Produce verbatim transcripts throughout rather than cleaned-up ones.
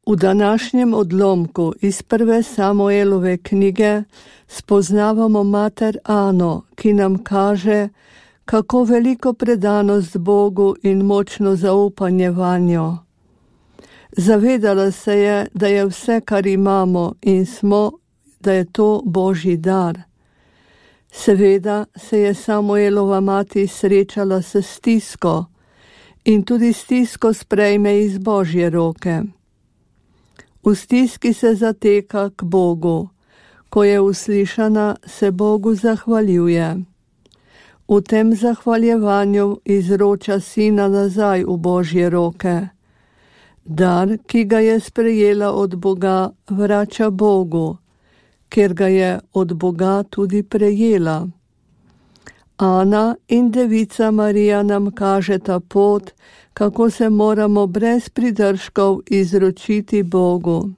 V današnjem odlomku iz prve Samuelove knjige spoznavamo mater Ano, ki nam kaže, kako veliko predanost Bogu in močno zaupanje vanjo. Zavedala se je, da je vse, kar imamo in smo, da je to Božji dar. Seveda se je Samuelova mati srečala s stisko in tudi stisko sprejme iz Božje roke. V stiski se zateka k Bogu, ko je uslišana, se Bogu zahvaljuje. V tem zahvaljevanju izroča sina nazaj v Božje roke. Dar, ki ga je sprejela od Boga, vrača Bogu, ker ga je od Boga tudi prejela. Ana in devica Marija nam kažeta pot, kako se moramo brez pridržkov izročiti Bogu.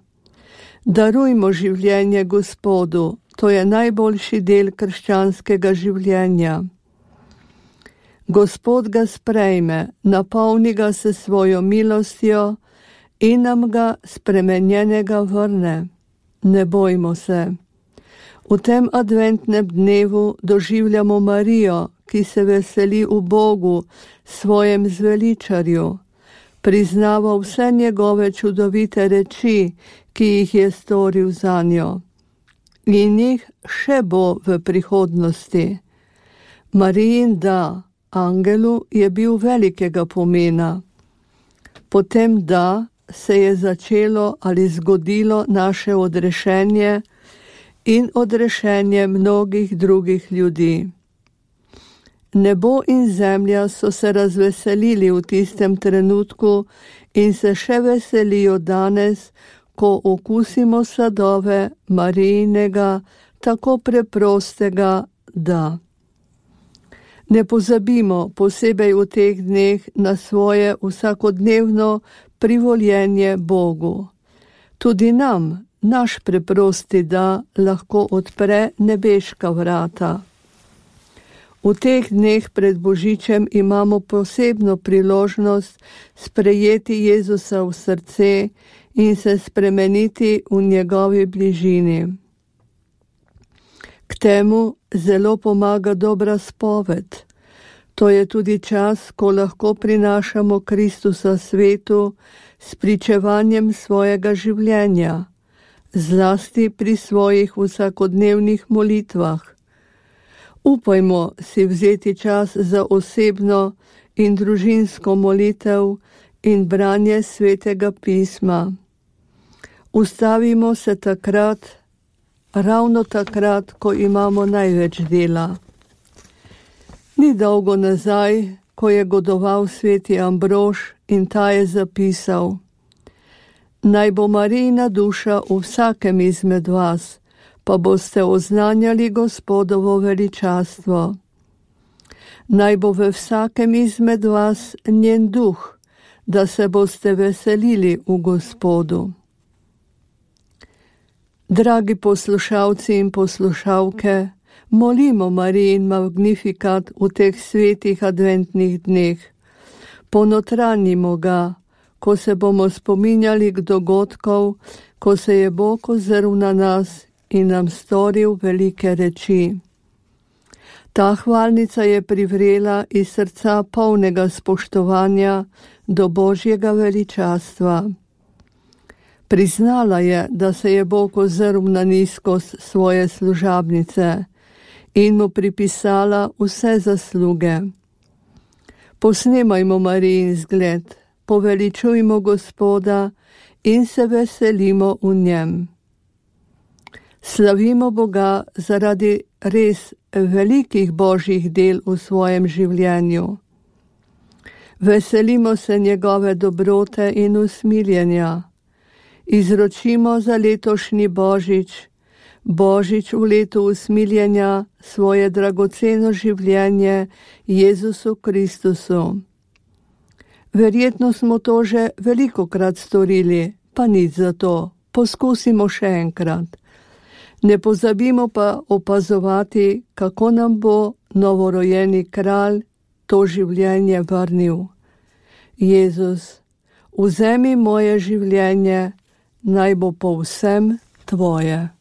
Darujmo življenje Gospodu, to je najboljši del krščanskega življenja. Gospod ga sprejme, napolni ga s svojo milostjo in nam ga spremenjenega vrne. Ne bojmo se. V tem adventnem dnevu doživljamo Marijo, ki se veseli v Bogu, svojem zveličarju, priznava vse njegove čudovite reči, ki jih je storil zanjo. In jih še bo v prihodnosti. Marijin da angelu je bil velikega pomena. Potem da se je začelo ali zgodilo naše odrešenje in odrešenje mnogih drugih ljudi. Nebo in zemlja so se razveselili v tistem trenutku in se še veselijo danes, ko okusimo sadove Marijinega, tako preprostega da. Ne pozabimo posebej v teh dneh na svoje vsakodnevno privoljenje Bogu. Tudi nam, naš preprosti da, lahko odpre nebeška vrata. V teh dneh pred Božičem imamo posebno priložnost sprejeti Jezusa v srce in se spremeniti v njegovi bližini. K temu zelo pomaga dobra spoved. To je tudi čas, ko lahko prinašamo Kristusa svetu s pričevanjem svojega življenja, zlasti pri svojih vsakodnevnih molitvah. Upajmo si vzeti čas za osebno in družinsko molitev in branje svetega pisma. Ustavimo se takrat, ravno takrat, ko imamo največ dela. Ni dolgo nazaj, ko je godoval sveti Ambrož in ta je zapisal: Naj bo Marijina duša v vsakem izmed vas, pa boste oznanjali Gospodovo veličastvo. Naj bo v vsakem izmed vas njen duh, da se boste veselili v Gospodu. Dragi poslušalci in poslušalke, molimo Marijin magnifikat v teh svetih adventnih dneh. Ponotranjimo ga, ko se bomo spominjali k dogodkov, ko se je Bog ozrl na nas in nam storil velike reči. Ta hvalnica je privrela iz srca polnega spoštovanja do Božjega veličastva. Priznala je, da se je Bog ozrl na nizkost svoje služabnice in mu pripisala vse zasluge. Posnemajmo Marijin zgled, poveličujmo Gospoda in se veselimo v njem. Slavimo Boga zaradi res velikih Božjih del v svojem življenju. Veselimo se njegove dobrote in usmiljenja. Izročimo za letošnji Božič, Božič v letu usmiljenja, svoje dragoceno življenje Jezusu Kristusu. Verjetno smo to že velikokrat storili, pa nič za to, poskusimo še enkrat. Ne pozabimo pa opazovati, kako nam bo novorojeni kralj to življenje vrnil. Jezus, vzemi moje življenje, naj bo povsem tvoje.